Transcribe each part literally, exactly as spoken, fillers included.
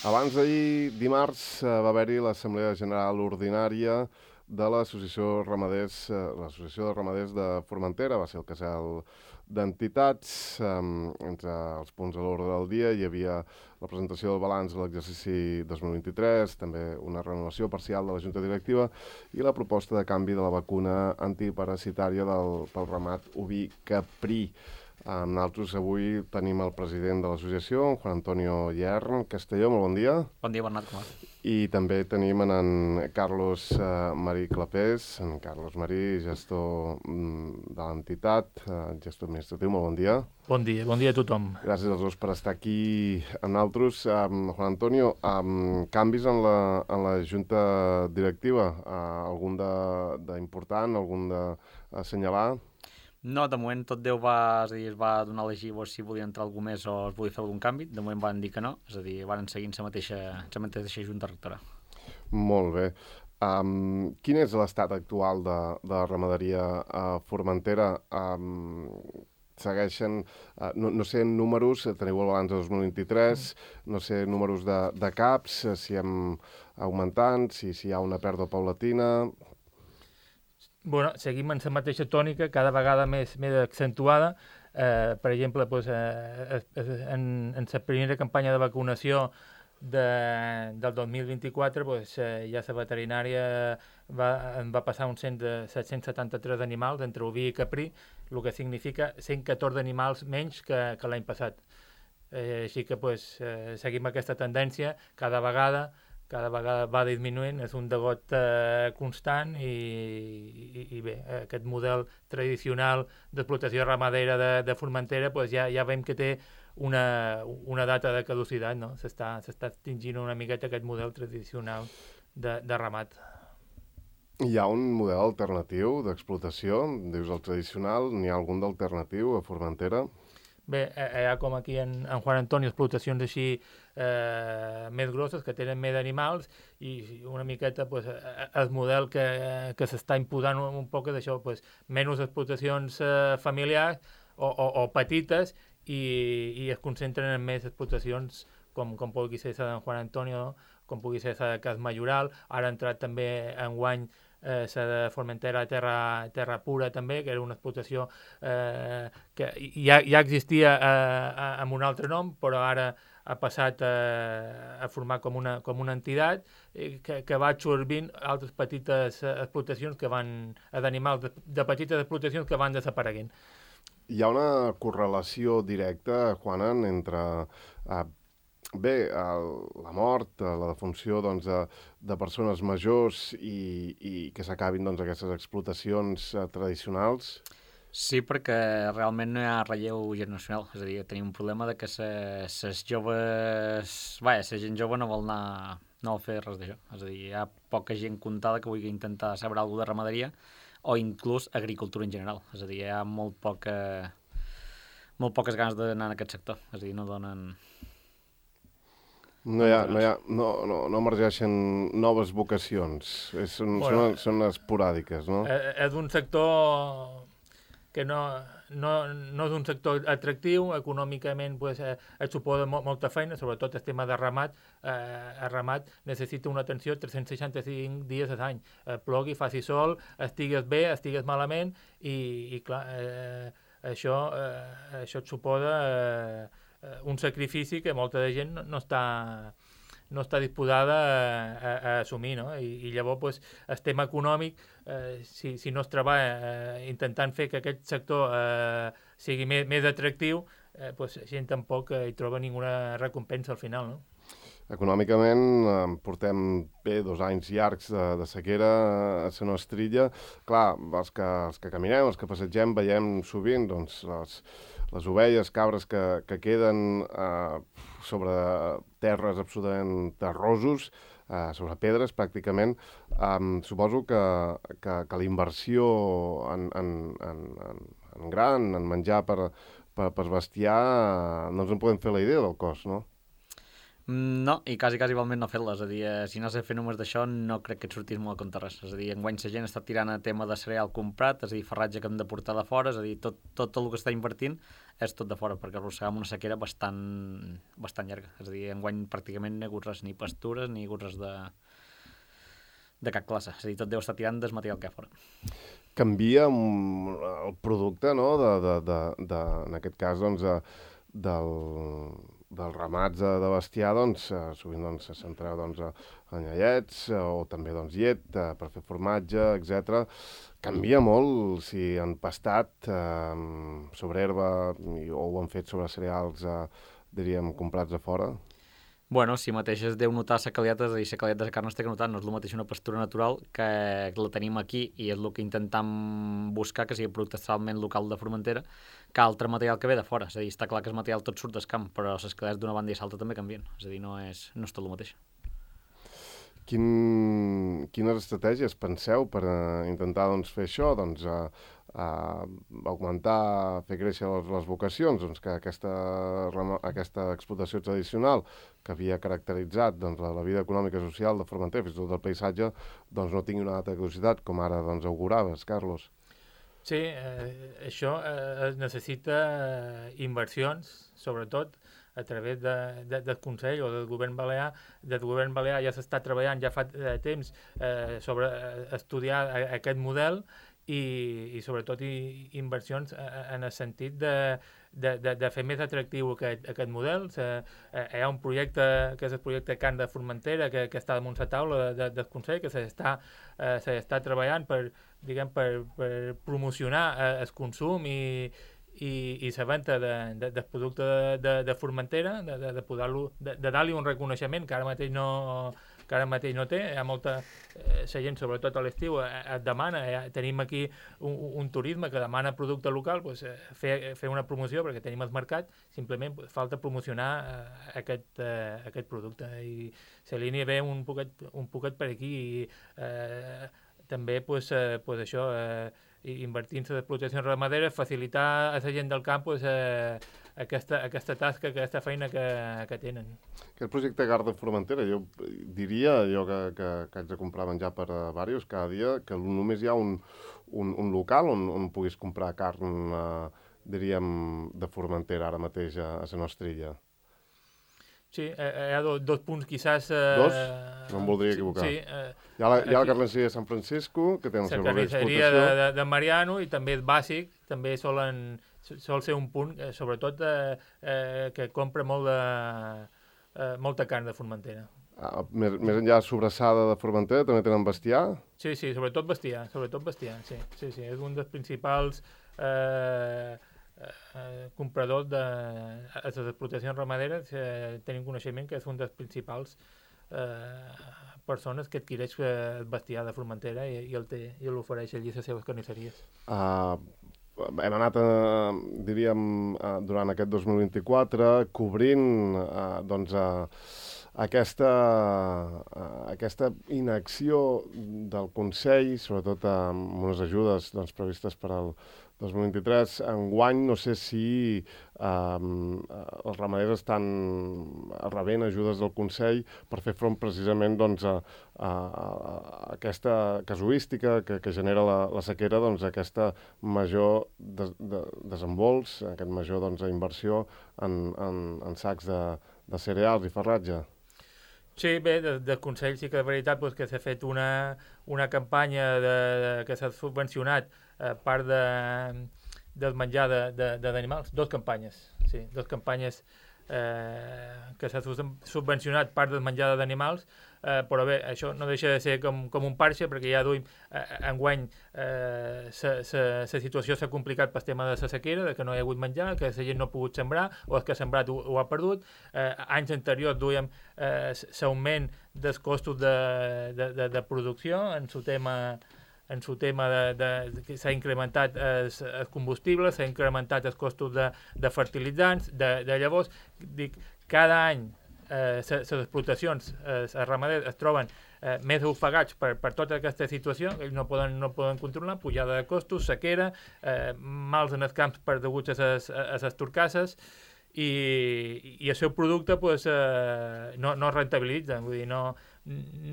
Abans d'ahir, dimarts, eh, va haver-hi l'Assemblea General Ordinària de l'Associació Ramaders, eh, l'Associació de Ramaders de Formentera. Va ser el casal d'entitats. Eh, entre els punts a l'ordre del dia hi havia la presentació del balanç de l'exercici dos mil vint-i-tres, també una renovació parcial de la Junta Directiva i la proposta de canvi de la vacuna antiparasitària del, pel ramat oví caprí. Amb nosaltres avui tenim el president de l'associació, en Juan Antonio Yern Castelló, molt bon dia. Bon dia, Bernat, com va? I també tenim en, en Carlos eh, Marí Clapés, en Carlos Marí, gestor mm, de l'entitat, eh, gestor administratiu, molt bon dia. Bon dia, bon dia a tothom. Gràcies als dos per estar aquí amb nosaltres. Um, Juan Antonio, um, canvis en la, en la junta directiva, uh, algun d'important, algun d'assenyalar? No, de moment tot Déu va, és a dir, es va donar a elegir si volia entrar algú més o es volia fer algun canvi. De moment van dir que no, és a dir, van seguir la mateixa, la mateixa junta rectora. Molt bé. Um, quin és l'estat actual de, de la ramaderia a Formentera? Um, segueixen, uh, no, no sé números, teniu el balanç de dos mil vint-i-tres, no sé números de, de caps, si hem augmentant, si, si hi ha una pèrdua paulatina. Bueno, seguim en la mateixa tònica, cada vegada més, més accentuada. Eh, per exemple, pues, eh, en, en la primera campanya de vacunació de, del dos mil vint-i-quatre pues, eh, ja la veterinària va, va passar un cent de set-cents setanta-tres animals entre oví i caprí, el que significa cent catorze animals menys que, que l'any passat. Eh, així que pues, eh, seguim aquesta tendència, cada vegada cada vegada va disminuint, és un degot eh, constant i, i, i bé, aquest model tradicional d'explotació ramadera de, de Formentera pues ja, ja veiem que té una, una data de caducitat, no? S'està s'està extingint una miqueta aquest model tradicional de, de ramat. Hi ha un model alternatiu d'explotació, dius el tradicional, n'hi ha algun d'alternatiu a Formentera? Bé, hi ha com aquí en, en Juan Antonio explotacions així eh, més grosses, que tenen més animals i una miqueta pues, el model que, que s'està imposant un, un poc d'això, pues, menys explotacions eh, familiars o, o, o petites i, i es concentren en més explotacions com, com pugui ser la d'en Juan Antonio, com pugui ser la de Cas Majoral. Ara ha entrat també en guany Eh, la de Formentera terra, terra Pura també, que era una explotació eh, que ja, ja existia eh, amb un altre nom, però ara ha passat eh, a formar com una, com una entitat eh, que, que va absorbint altres petites explotacions que van, d'animals de, de petites explotacions que van desapareguent. Hi ha una correlació directa, Juanan, entre eh, bé, el, la mort, la defunció doncs, de, de persones majors i, i que s'acabin doncs, aquestes explotacions eh, tradicionals? Sí, perquè realment no hi ha relleu generacional, és a dir, tenim un problema de que les joves... Vaja, la gent jove no vol anar, no vol fer res d'això, és a dir, hi ha poca gent comptada que vulgui intentar saber alguna de ramaderia o inclús agricultura en general, és a dir, hi ha molt poca molt poques ganes d'anar en aquest sector, és a dir, no donen... No, hi ha, no, hi ha, no, no, no emergeixen noves vocacions, és, són, bueno, són, són esporàdiques, no? Eh, és un sector que no, no, no és un sector atractiu, econòmicament pues, eh, et suposa mo molta feina, sobretot el tema de ramat. Eh, el ramat necessita una atenció tres-cents seixanta-cinc dies a l'any. Eh, plogui, faci sol, estigues bé, estigues malament, i, i clar, eh, això, eh, això et suposa... Eh, un sacrifici que molta de gent no, no està no està disposada a, a, a assumir, no? I, i llavors pues, el tema econòmic, eh, si, si no es treballa eh, intentant fer que aquest sector eh, sigui més, més atractiu, eh, pues, la gent tampoc eh, hi troba ninguna recompensa al final, no? Econòmicament eh, portem bé dos anys llargs de, de sequera a la nostra illa. Clar, els que, els que caminem, els que passegem, veiem sovint doncs, les, les ovelles, cabres que, que queden eh, sobre terres absolutament terrosos, eh, sobre pedres pràcticament. Um, suposo que, que, que la inversió en, en, en, en, en gran, en menjar per, per, per bestiar, eh, no ens en podem fer la idea del cost, no? No, i quasi, quasi igualment no fer-les. És a dir, si no has de fer només d'això, no crec que et sortís molt a compte res. És a dir, enguany la gent està tirant a tema de cereal comprat, és a dir, farratge que hem de portar de fora, és a dir, tot, tot el que està invertint és tot de fora, perquè arrossegam una sequera bastant, bastant llarga. És a dir, enguany pràcticament no hi ha hagut res, ni pastures, ni hi ha hagut res de, de cap classe. És a dir, tot deu estar tirant des material que hi ha fora. Canvia el producte, no?, de, de, de, de, en aquest cas, doncs, del... dels ramats de, de bestiar, doncs, eh, sovint doncs, se centreu doncs, en lleiets eh, o també doncs, llet eh, per fer formatge, etcètera. Canvia molt si han pastat eh, sobre herba i, o ho han fet sobre cereals, eh, diríem, comprats a fora. Bueno, si mateix es deu notar la qualitat, és a dir, la qualitat de la carn es té que notar, no és el mateix una pastura natural que la tenim aquí i és el que intentem buscar, que sigui producte totalment local de Formentera, que altre material que ve de fora. És a dir, està clar que el material tot surt del camp, però les qualitats d'una banda i l'altra també canvien. És a dir, no és, no és tot el mateix. Quin, quines estratègies penseu per uh, intentar doncs, fer això? Doncs, uh, uh, augmentar, fer créixer les, les vocacions, doncs, que aquesta, aquesta explotació tradicional que havia caracteritzat doncs, la, la vida econòmica i social de Formentera, fins i tot el paisatge, doncs, no tingui una altra curiositat, com ara doncs, auguraves, Carlos. Sí, eh, això eh, necessita eh, inversions, sobretot, a través de, de, del Consell o del govern balear. Del govern balear ja s'està treballant ja fa eh, temps eh, sobre eh, estudiar a, aquest model i, i sobretot i, inversions eh, en el sentit de, de, de, de fer més atractiu aquest, aquest model. Se, eh, hi ha un projecte que és el projecte Carn de Formentera que, que està damunt la taula de, de, del Consell, que s'està eh, s'està treballant per, diguem, per, per promocionar eh, el consum i i, i la venda de, de, del producte de, de, de Formentera, de, de, de, poder-lo, de, de dar-li un reconeixement que ara mateix no, que ara mateix no té. Hi ha molta eh, la gent, sobretot a l'estiu, eh, et demana, eh, tenim aquí un, un turisme que demana producte local, pues, eh, fer, fer una promoció perquè tenim el mercat, simplement pues, falta promocionar eh, aquest, eh, aquest producte. I la línia ve un poquet, un poquet per aquí i eh, també pues, eh, pues això, eh, invertint-se en explotacions ramaderes, facilitar a la gent del camp pues, eh, aquesta, aquesta tasca, aquesta feina que, que tenen. Aquest projecte Carn de Formentera, jo diria, jo que, que, que haig de comprar menjar per a diversos cada dia, que només hi ha un, un, un local on, on puguis comprar carn, eh, diríem, de Formentera ara mateix a, a la nostra illa. Sí, hi ha dos, dos punts, quizás... Eh, dos? No em voldria equivocar. Sí, eh, hi ha la, hi ha la carnisseria de San Francisco, que té el seu horari d'explotació. La carnisseria de, de, de Mariano, i també és bàsic, també solen, sol ser un punt, eh, sobretot eh, eh, que compra molt de, eh, molta carn de Formentera. Ah, més, més enllà sobrassada de Formentera, també tenen bestiar? Sí, sí, sobretot bestiar, sobretot bestiar, sí, sí, sí, és un dels principals... Eh, Eh, compradors de a les explotacions ramaderes, eh, tenim coneixement que és un dels principals eh, persones que adquireix el bestiar de Formentera i, i el té i l'ofereix allí a les seves carnisseries. Uh, hem anat, uh, diríem, uh, durant aquest dos mil vint-i-quatre cobrint uh, doncs, uh, aquesta, uh, aquesta inacció del Consell, sobretot uh, amb unes ajudes doncs, previstes per al dos mil vint-i-tres. Enguany no sé si eh, els ramaders estan rebent ajudes del Consell per fer front precisament doncs, a, a, a aquesta casuística que, que genera la, la sequera, doncs, aquesta major de, de, desembols, aquest major doncs, inversió en, en, en sacs de, de cereals i farratge. Sí, bé, del de Consell sí que de veritat pues, que s'ha fet una, una campanya de, de, que s'ha subvencionat eh, part de, del menjar d'animals, dos campanyes, sí, dos campanyes eh, que s'ha subvencionat part del menjar d'animals, eh, però bé, això no deixa de ser com, com un parxe, perquè ja duim, eh, enguany eh, la situació s'ha complicat pel tema de la sequera, de que no hi ha hagut menjar, que la gent no ha pogut sembrar, o el que ha sembrat ho, ho ha perdut. Eh, anys anteriors duíem eh, l'augment dels costos de, de, de, de producció en el tema en el tema de, de, de s'ha incrementat el, el combustible, s'ha incrementat els costos de, de fertilitzants, de, de llavors, dic, cada any eh, les explotacions, eh, els ramaders es troben eh, més ofegats per, per tota aquesta situació, ells no poden, no poden controlar, pujada de costos, sequera, eh, mals en els camps per deguts a les, a les torcasses, i, i el seu producte pues, eh, no, no es rentabilitza, vull dir, no,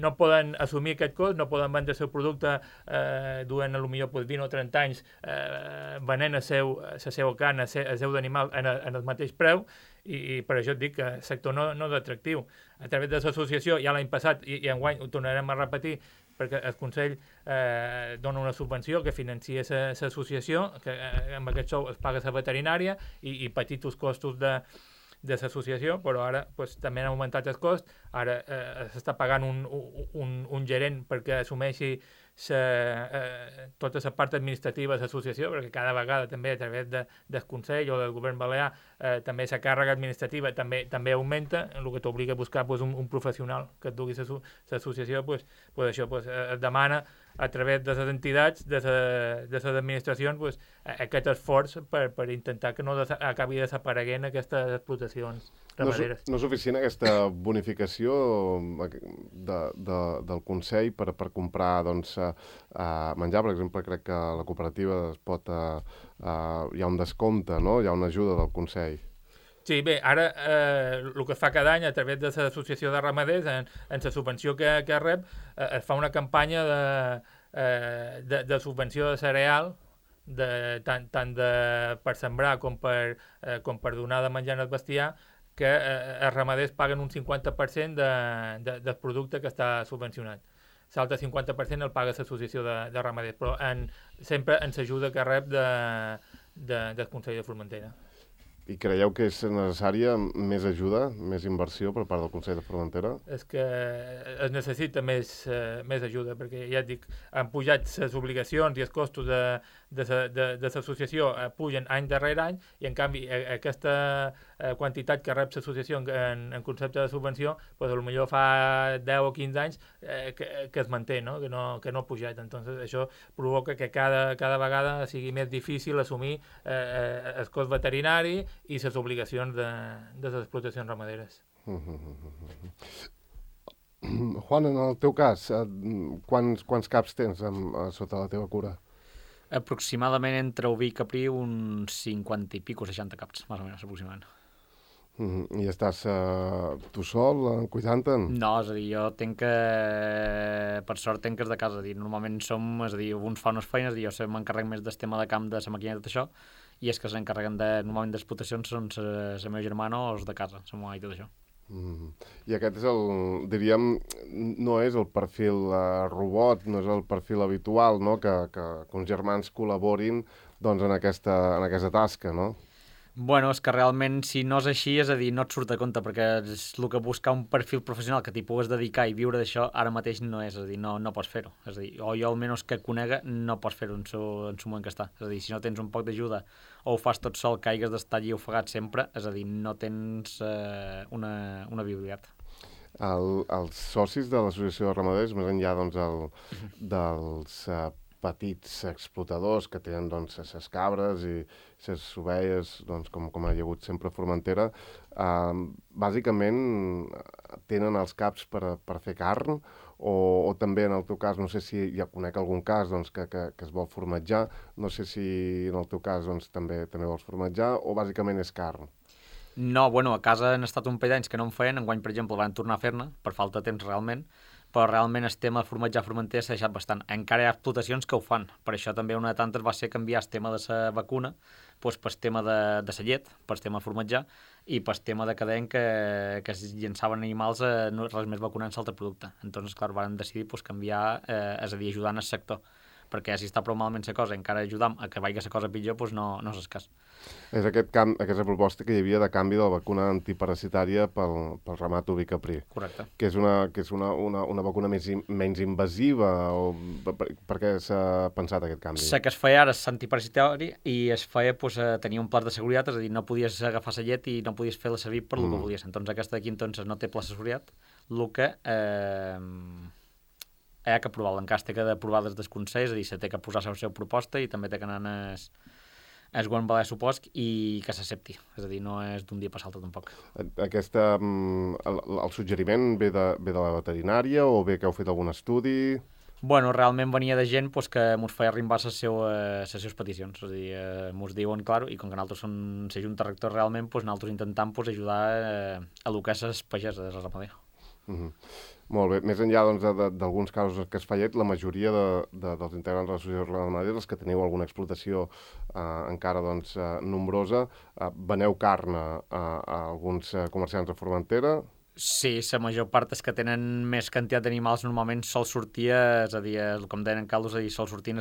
no poden assumir aquest cost, no poden vendre el seu producte eh, durant potser pues, vint o trenta anys eh, venent el seu, la seva carn, el seu, el seu d'animal en, el, en el mateix preu, i, i per això et dic que el sector no, no és atractiu. A través de l'associació, ja l'any passat, i, i enguany ho tornarem a repetir, perquè el Consell eh, dona una subvenció que financia l'associació, que eh, amb aquest sou es paga la veterinària i, i petits costos de, de l'associació, però ara pues, també han augmentat el cost, ara eh, s'està pagant un, un, un gerent perquè assumeixi sa, eh, tota la part administrativa de l'associació, perquè cada vegada també a través de, del Consell o del govern balear eh, també la càrrega administrativa també també augmenta, el que t'obliga a buscar pues, un, un professional que et dugui l'associació, pues, pues això pues, es demana a través de les entitats, de, la, de les administracions, pues, aquest esforç per, per intentar que no des, acabi desapareguent aquestes explotacions ramaderes. No, no és suficient aquesta bonificació de, de, del Consell per, per comprar doncs, uh, menjar, per exemple, crec que a la cooperativa es pot, uh, uh, hi ha un descompte, no? Hi ha una ajuda del Consell. Sí, bé, ara eh, el que es fa cada any a través de l'associació de ramaders, en, en la subvenció que, que rep, eh, es fa una campanya de, eh, de, de subvenció de cereal, de, tant, tant de, per sembrar com per, eh, com per donar de menjar al bestiar, que eh, els ramaders paguen un cinquanta per cent de, de, del producte que està subvencionat. L'altre cinquanta per cent el paga l'associació de, de ramaders, però en, sempre ens ajuda que rep de, de, del Consell de Formentera. I creieu que és necessària més ajuda, més inversió per part del Consell de Formentera? És que es necessita més, eh, més ajuda, perquè ja et dic, han pujat les obligacions i els costos de, de, de, de l'associació eh, pugen any darrere any, i en canvi eh, aquesta eh, quantitat que rep l'associació en, en, en concepte de subvenció, pues, potser fa deu o quinze anys eh, que, que es manté, no? Que, no, que no ha pujat. Entonces, això provoca que cada, cada vegada sigui més difícil assumir eh, el cost veterinari i les obligacions de, de les explotacions ramaderes. Juan, en el teu cas, quants, quants caps tens amb, sota la teva cura? Aproximadament entre oví i caprí uns cinquanta i pico, seixanta caps, més o menys, aproximadament. Mm-hmm. I estàs uh, tu sol, uh, cuidant-te'n? No, és a dir, jo tenc que... Per sort tenc que és de casa, és a dir, normalment som, és a dir, uns fa unes feines, i jo m'encarrec més del tema de camp, de la màquina i tot això, i és que s'encarreguen de, normalment d'explotacions són la meva germana o els de casa, la meva i tot això. Mm. I aquest és el, diríem, no és el perfil uh, robot, no és el perfil habitual, no?, que, que, que uns germans col·laborin doncs, en, aquesta, en aquesta tasca, no? Bueno, és que realment, si no és així, és a dir, no et surt a compte, perquè és el que buscar un perfil professional que t'hi pugues dedicar i viure d'això, ara mateix no és, és a dir, no, no pots fer-ho. És a dir, o jo almenys que conega, no pots fer-ho en su, en su moment que està. És a dir, si no tens un poc d'ajuda o ho fas tot sol, que hagues d'estar allí ofegat sempre, és a dir, no tens eh, una, una viabilitat. El, els socis de l'associació de ramaders, més enllà doncs, el, dels uh, petits explotadors que tenen doncs, ses cabres i ses ovelles, doncs, com, com ha hagut sempre a Formentera, eh, bàsicament tenen els caps per, per fer carn, o, o també en el teu cas, no sé si ja conec algun cas doncs, que, que, que es vol formatjar, no sé si en el teu cas doncs, també també vols formatjar, o bàsicament és carn? No, bueno, a casa han estat un parell d'anys que no en feien, enguany, per exemple, van tornar a fer-ne, per falta de temps realment, però realment el tema de formatjar Formentera s'ha deixat bastant. Encara hi ha explotacions que ho fan. Per això també una de tantes va ser canviar el tema de la vacuna doncs per el tema de, de la llet, per el tema de formatjar, i per el tema de cadent que, que es llençaven animals a no, res més vacunant l'altre producte. Entonces, clar, van decidir doncs, canviar, eh, és a dir, ajudant el sector, perquè si està prou malament la cosa, encara ajudam a que vagi la cosa pitjor, doncs no, no és el cas. És aquest camp, aquesta proposta que hi havia de canvi de la vacuna antiparasitària pel, pel ramat oví caprí. Correcte. Que és una, que és una, una, una vacuna més, menys invasiva, o per, per què s'ha pensat aquest canvi? La que es feia ara és antiparasitari i es feia doncs, tenir un pla de seguretat, és a dir, no podies agafar la llet i no podies fer-la servir per mm. el que volies. Entonces aquesta d'aquí entonces, no té pla de seguretat, el que eh, hi ha que aprovar. L'encàs té que aprovar des del Consell, és a dir, se té que posar la seva proposta i també té que anar es, es govern balear supost i que s'accepti. És a dir, no és d'un dia per l'altre tampoc. Aquesta, el, el suggeriment ve de, ve de la veterinària o bé que heu fet algun estudi? Bueno, realment venia de gent pues, que mos feia arribar les seues, les seues peticions. És a dir, eh, mos diuen, clar, i com que nosaltres som la Junta Rector realment, pues, nosaltres intentam pues, ajudar eh, a el que és les pageses, de la ramadera. Mm -hmm. Molt bé. Més enllà doncs, d'alguns casos que es fallet, la majoria de, de, dels integrants de l'associació ramadera, els que teniu alguna explotació eh, encara doncs, eh, nombrosa, eh, veneu carn a, a alguns eh, comerciants de Formentera. Sí, la major part és que tenen més quantitat d'animals normalment sol sortir, és a dir, com deien en Caldo, és a dir, sol sortir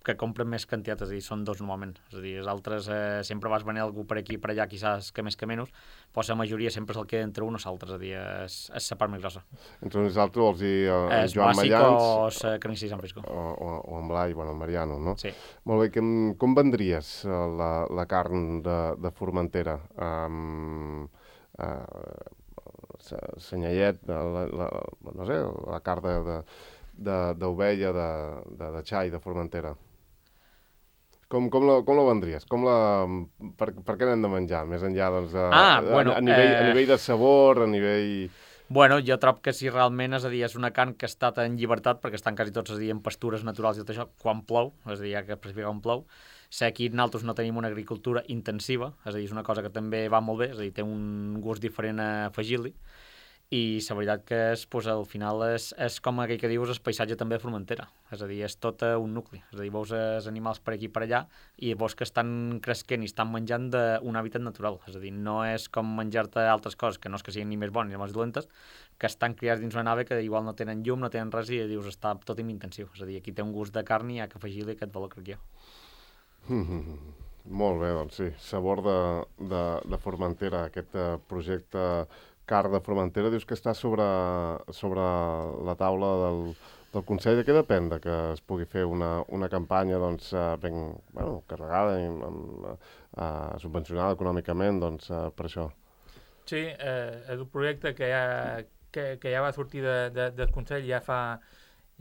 que compren més quantitat, és a dir, són dos normalment. És a dir, els altres eh, sempre vas venir algú per aquí i per allà, quizás que més que menys, però la majoria sempre se'l queda entre un o l'altre, és a dir, és, és la part més grossa. Entre nosaltres vols dir eh, és Joan bàsic Mallans... o la carnisseria San Frisco. O, o, o en Blai, bueno, en Mariano, no? Sí. Molt bé, com, com vendries la, la carn de, de Formentera? Um, uh, senyallet, la, la, no sé, la carn d'ovella, de, de, de, de xai de Formentera. Com, com, la, com la vendries? Com la, per, per què n'hem de menjar? Més enllà, doncs, de, ah, bueno, a, a, nivell, eh... a nivell de sabor, a nivell... Bueno, jo trobo que si realment, és a dir, és una carn que ha estat en llibertat, perquè estan quasi tots, és a dir, en pastures naturals i tot això, quan plou, és a dir, ja que especifica quan plou. Sé que aquí nosaltres no tenim una agricultura intensiva, és a dir, és una cosa que també va molt bé, és a dir, té un gust diferent a afegir-li, i la veritat que és, pues, al final és, és com aquell que dius el paisatge també de Formentera, és a dir, és tot un nucli, és a dir, veus els animals per aquí i per allà i veus que estan cresquent i estan menjant d'un hàbitat natural, és a dir, no és com menjar-te altres coses, que no és que siguin ni més bones ni més dolentes, que estan criats dins una nave que igual no tenen llum, no tenen res i dius, està tot intensiu, és a dir, aquí té un gust de carn i hi ha que afegir-li aquest valor, crec jo. Mm -hmm. Molt bé, doncs sí, sabor de, de, de Formentera, aquest uh, projecte carn de Formentera, dius que està sobre, sobre la taula del, del Consell. De què depèn de que es pugui fer una, una campanya doncs, uh, ben bueno, carregada i uh, uh, subvencionada econòmicament doncs, uh, per això? Sí, eh, és un projecte que ja, que, que ja va sortir de, de, del Consell ja fa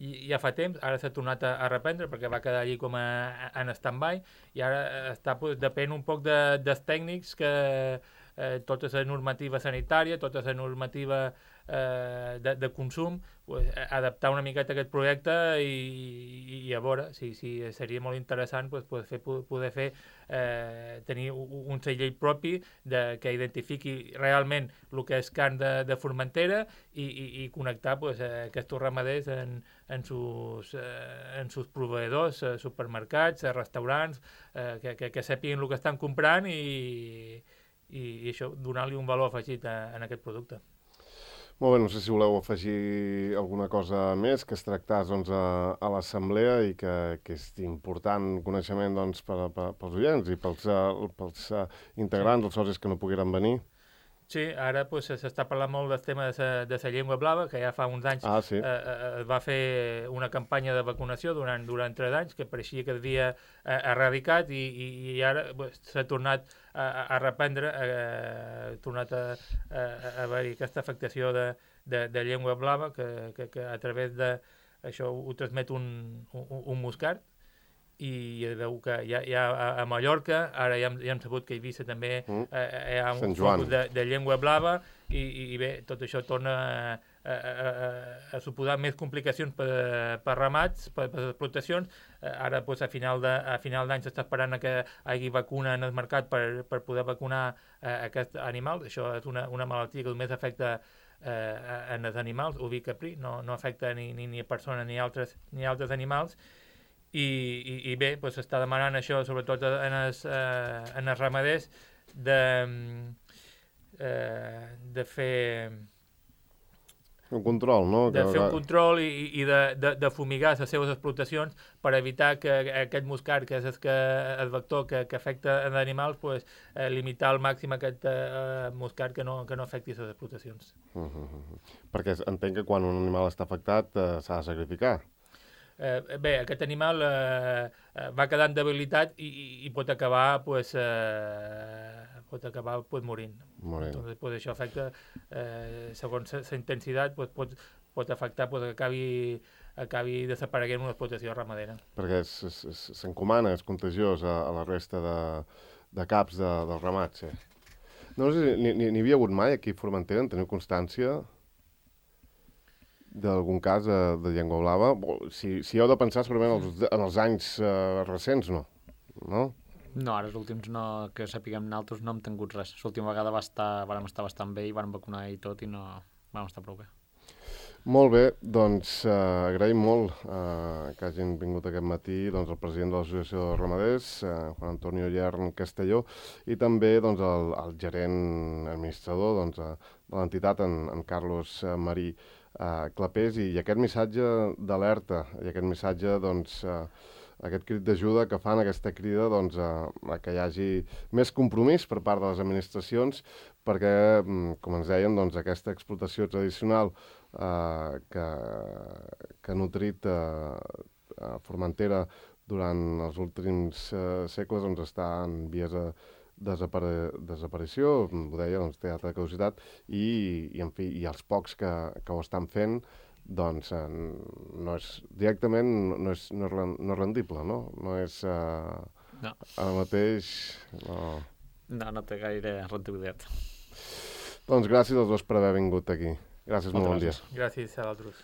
ja fa temps, ara s'ha tornat a, a reprendre perquè va quedar allí com a, en stand-by i ara està, pues, depèn un poc de, dels tècnics que eh, tota la normativa sanitària, tota la normativa eh, de, de consum, pues, adaptar una miqueta aquest projecte i, i a veure, sí, sí, seria molt interessant pues, poder fer, poder fer eh, tenir un, un segell propi de, que identifiqui realment el que és carn de, de Formentera i, i, i connectar pues, aquests ramaders en, en sus, eh, en sus proveïdors, eh, supermercats, eh, restaurants, eh, que, que, que sàpiguen el que estan comprant i, i, i això, donar-li un valor afegit a, a aquest producte. Molt bé, no sé si voleu afegir alguna cosa més que es tractàs doncs, a, a l'assemblea i que, que és important coneixement doncs, per, per, pels oients i pels, uh, pels uh, integrants, sí. Els socis que no pogueren venir. Sí, ara pues, s'està parlant molt del tema de la llengua blava, que ja fa uns anys ah, sí. eh, es va fer una campanya de vacunació durant, durant tres anys, que pareixia que havia eh, erradicat i, i, i ara pues, s'ha tornat a, a reprendre, ha tornat a, a, a haver-hi aquesta afectació de, de, de llengua blava, que, que, que a través de això ho transmet un, un, un muscat, i veu que hi ha, hi ha a Mallorca, ara ja hem, ja hem sabut que a Eivissa també mm. eh, hi ha un focus de, de llengua blava i, i bé, tot això torna a, a, a, a suposar més complicacions per, per ramats, per, per explotacions. Eh, ara pues, a final de, a final d'any s'està esperant que hi hagi vacuna en el mercat per, per poder vacunar eh, aquests animals. Això és una, una malaltia que només afecta eh, en els animals, oví caprí, no, no afecta ni, ni, ni a persones ni altres, ni altres animals. I, i, i bé, doncs s'està demanant això, sobretot en els, eh, en els ramaders, de, eh, de fer... Un control, no? De fer un control i, i de, de, de fumigar les seves explotacions per evitar que aquest muscat, que és el, que, el vector que, que afecta els animals, pues, eh, limitar al màxim aquest eh, muscat que no, que no afecti les explotacions. Uh -huh. Perquè entenc que quan un animal està afectat eh, s'ha de sacrificar. Eh, bé, aquest animal eh, va quedant debilitat i, i, i pot acabar pues, eh, pot acabar pues, morint. morint. Entonces, pues, això afecta, eh, segons la intensitat, pues, pot, pot afectar pues, que acabi, acabi desapareguent una explotació ramadera. Perquè s'encomana, és contagiós a, a la resta de, de caps de, dels ramats. Sí. No sé si n'hi havia hagut mai aquí a Formentera, en teniu constància? d'algun cas de, de llengua blava? Si, si heu de pensar segurament els, en els anys uh, recents, no? No? No, ara els últims no, que sapiguem nosaltres no hem tingut res. L'última vegada va estar, vam estar bastant bé i vam vacunar i tot i no vam estar prou bé. Molt bé, doncs eh, agraïm molt eh, que hagin vingut aquest matí doncs, el president de l'Associació de Ramaders, eh, Juan Antonio Llern Castelló, i també doncs, el, el gerent administrador doncs, eh, de l'entitat, en, en Carlos eh, Marí eh, Clapés, i, i aquest missatge d'alerta, i aquest missatge, doncs, eh, aquest crit d'ajuda que fan, aquesta crida doncs, a, a que hi hagi més compromís per part de les administracions, perquè, com ens deien, doncs, aquesta explotació tradicional Uh, que, que ha nutrit uh, a Formentera durant els últims uh, segles doncs, està en vies de desapare desaparició, ho deia, doncs, té alta caducitat, i, i, en fi, i els pocs que, que ho estan fent doncs uh, no és, directament no és, no és, no és rendible, no? No és uh, no. Ara mateix... No. no, no té gaire rendibilitat. Doncs gràcies als dos per haver vingut aquí. Gràcies, molt bon dia. Gràcies a vosaltres.